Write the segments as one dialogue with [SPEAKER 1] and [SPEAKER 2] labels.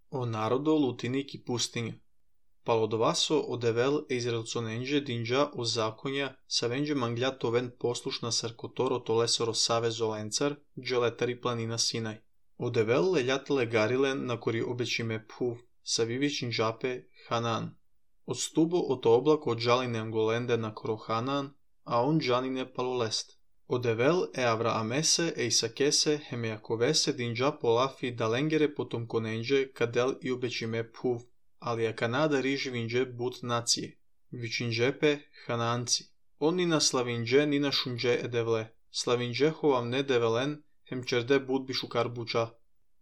[SPEAKER 1] O narodo lutinik i pustinja. Palodovaso odevel Izraelconenđe dinđa o zakonja savenđe mangljato ven poslušna sarkotoro tolesoro savezo lencar, dželetari planina Sinaj. Odevel leljatele garilen na kori obećime phuv, savivićin džape Hanan. Odstubo oto oblako džaline angolende na koro Hanan, a on džanine palolest. Odevel Avraamese Isakese Hemejakovese dinđa polafi dalengere potom konenđe kadel i obećime phuv, ali a Kanada riživinđe but nacije. Vičinđepe Hananci. On ni na slavinđe ni na šunđe edevle. Slavinđe hovam ne develen hem čerde but bišukar buča.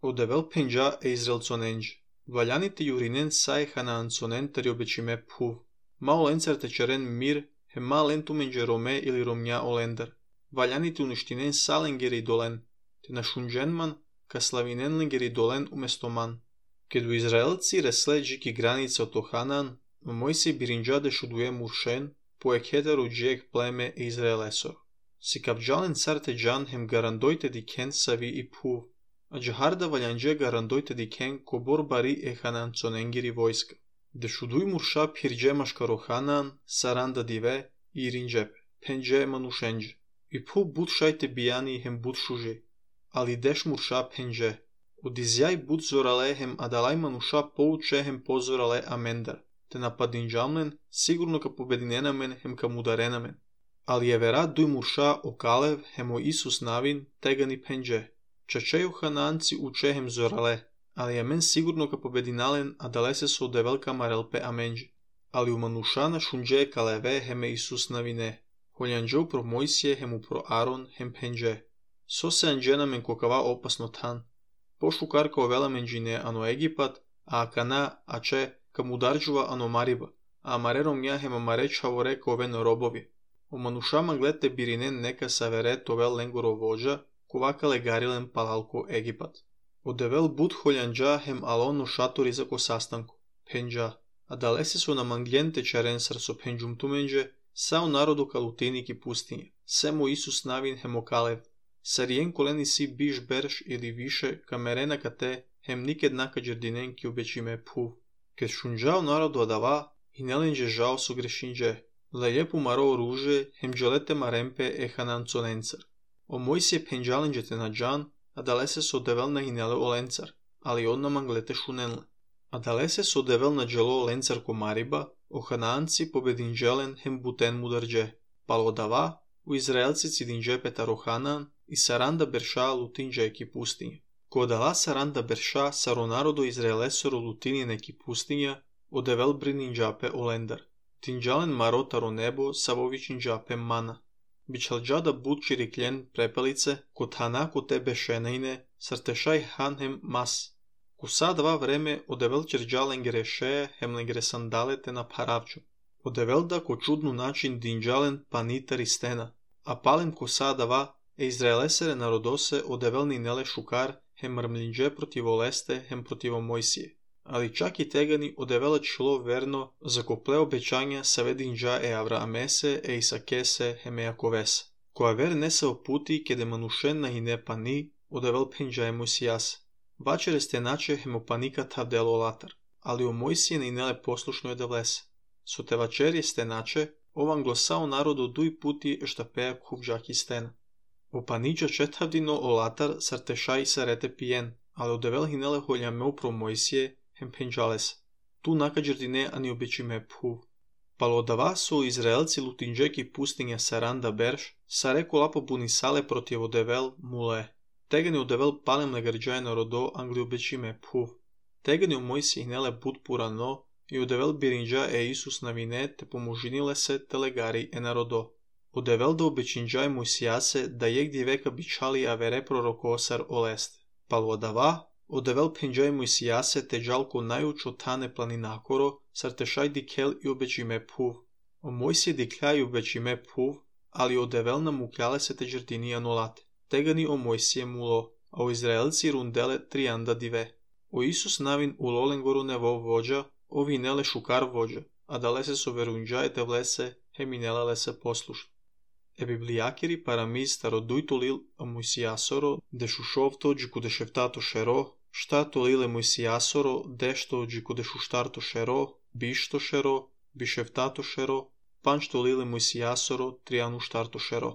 [SPEAKER 1] Odevel penđa Izraelconenđe. Valjanite jurinen saj Hanaanconen teri obećime phuv. Mao lencar tečeren mir hem ma lentumenđe Rome ili Romnja olender. Valjanite uništinen salengeri dolen, te na šunđenman ka slavinen lengeri dolen umesto man. Kedu Izraelci resleđiki granice oto Hanan, Mojsij birinđade šuduje muršen, poek hetero džijek pleme Izraelesor. Si kapđalen carte džan hem garandojte diken savi i phuv, a džaharda valjanđe garandojte diken kobor bari Hananconengiri vojska. De šuduj murša pirđemaškaro Hanan, saranda dive i rinđepe, penđe manušenđe. I phuv but šajte bijani hem but šuže, ali deš murša penđe. Odizjaj but zorale hem adalaj manuša pouče hem pozorale amendar, te napadinđamlen sigurno ka pobedinenamen hem ka mudarenamen. Ali je vera duj murša okalev hem o Isus navin tegani penđe. Čačeju Hananci uče hem zorale, ali je men sigurno ka pobedinalen adalese so develka marelpe amenđe. Ali u manuša na šunđe kaleve heme Isus navine. Holjanđev pro Mojsije hemu pro Aron hem penđe. So se anđenamen kokava opasno tan. Pošukarka ovela menđine ano Egipat, a Akana, ače, kam udarđuva ano Mariba, a marerom njahem amareć havore koven robovi. O manušama glete birinen neka savere tovel lengoro vođa, kovakale garilen palalko Egipat. Odevel but holjanđa hem alono šatori za ko sastanku, penđa, a dalese su na mangljente čarensar so penđum tumenđe, sao narodu kalutinik i pustinje, semo Isus navin hem okalev. Sarijen koleni si biš berš ili više kamerena kate hem niked naka džerdinen ki obećime phuv. Kad šunđao narodu adava i nelenđe žao su grešinđe, lejepu maro ruže hem dželete marempe Hananconencar. O Mojsije penđalenđe te na džan, a dalese so devel na hinele olencar, ali odna manglete šunenle. A dalese so devel na dželo olencar ko Mariba, o Hananci pobedinđelen hem buten mudarđe. Palo dava, u Izraelci cidinđe petaro Hanan, i saranda berša lutinđe eki pustinje. Ko dala saranda berša saro narodo Izraelesoro lutinje neki pustinja, odevel brininđape olendar. Tinđalen marotaro nebo savovićin džape mana. Bičalđada bud čirikljen prepelice, kod hanako tebe šenejne, sartešaj hanhem mas. Ku sadva vreme odevel čerđalen grešeje hemlen sandalete na paravču. Odevel da ko čudnu način dinđalen panitari stena, a palem ko sadava Izraelesere narodose odevelni nele šukar hem mrmlinđe protiv oleste hem protivo Mojsije. Ali čak i tegani odevela člo verno za kople obećanja savedinđa Avraamese Isakese hem Jakovese. Koja ver ne se oputi kede manušen na hine pani odevel penđa Mojsijas. Vačere ste nače hem opanika tavdelo latar, ali o Mojsije ne nele poslušno edevlese. So te vačerje ste nače, ovan glosao narodu duj puti eštapeja kuvđaki stena. Opaniđa četavdino olatar sartešaj sarete pijen, ali odevel hinele holjameu pro Mojsije hem penđales. Tu nakađerdine ani obećime phuv. Palo odava su Izraelci lutinđeki pustinja saranda berš, sareko lapo bunisale protiv odevel mule. Tegani odevel palem legarđaje narodo angli obećime phuv. Tegani o Mojsije hinele bud purano i odevel birinđa Isus navine te pomožinile se telegari narodo. Odevel da obećinđaj Mojsijase da jegdje veka bičali avere prorokosar oleste. Palo odava, odevel penđaj Mojsijase te džalko najučo tane planinakoro, sartešaj dikel i obećime phuv. O Mojsije dikljaj obećime phuv, ali odevel namukljale se te džerdini anolate. Tegani o Mojsije mulo, a o Izraelci rundele trianda dive. O Isus navin u lolengoru nevo vođa, ovi nele šukar vođa, a dalese so verunđaj te vlese, heminelale se poslušno. Bibliakiri paramiz starodujtolil a Mojsijasoro, de šušovto džiku de šeftato šero, Shtato lile muisiasoro, dešto jikudeșuștarto shero, bišto shero, bishevtato shero, panšto lile muisiasoro, trianu shtarto shero.